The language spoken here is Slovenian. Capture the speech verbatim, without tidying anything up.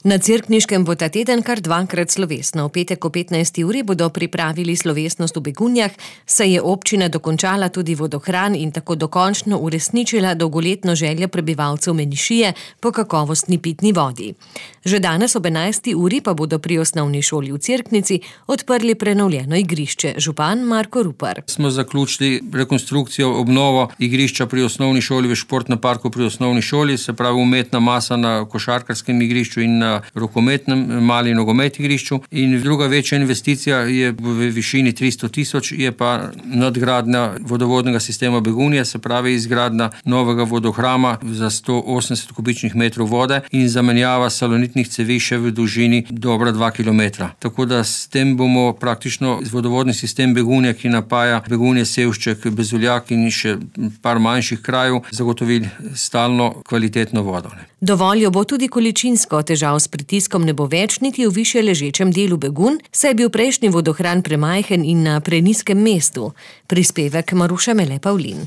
Na Cerkniškem bo ta teden kar dvakrat slovesno. V petek o petnajsti uri bodo pripravili slovesnost v Begunjah, saj je občina dokončala tudi vodohran in tako dokončno uresničila dolgoletno željo prebivalcev Menišije po kakovostni pitni vodi. Že danes ob enajsti uri pa bodo pri osnovni šoli v Cerknici odprli prenovljeno igrišče. Župan Marko Rupar. Smo zaključili rekonstrukcijo, obnovo igrišča pri osnovni šoli v športnem parku pri osnovni šoli, se pravi umetna masa na košarkarskem igrišču in na rokometnem mali nogomet igrišču. In druga večja investicija je v višini tristo tisoč, je pa nadgradnja vodovodnega sistema Begunje, se pravi izgradnja novega vodohrama za sto osemdeset kubičnih metrov vode in zamenjava salonitnih cevi še v dolžini dobra dva kilometra. Tako da s tem bomo praktično vodovodni sistem Begunje, ki napaja Begunje, Sevšček, Bezuljak in še par manjših krajev, zagotovili stalno kvalitetno vodo. Dovolj jo bo tudi količinsko, težav s pritiskom ne bo več niti v višje ležečem delu Begunj, saj je bil prejšnji vodohran premajhen in na prenizkem mestu. Prispevek Maruša Mele Pavlin.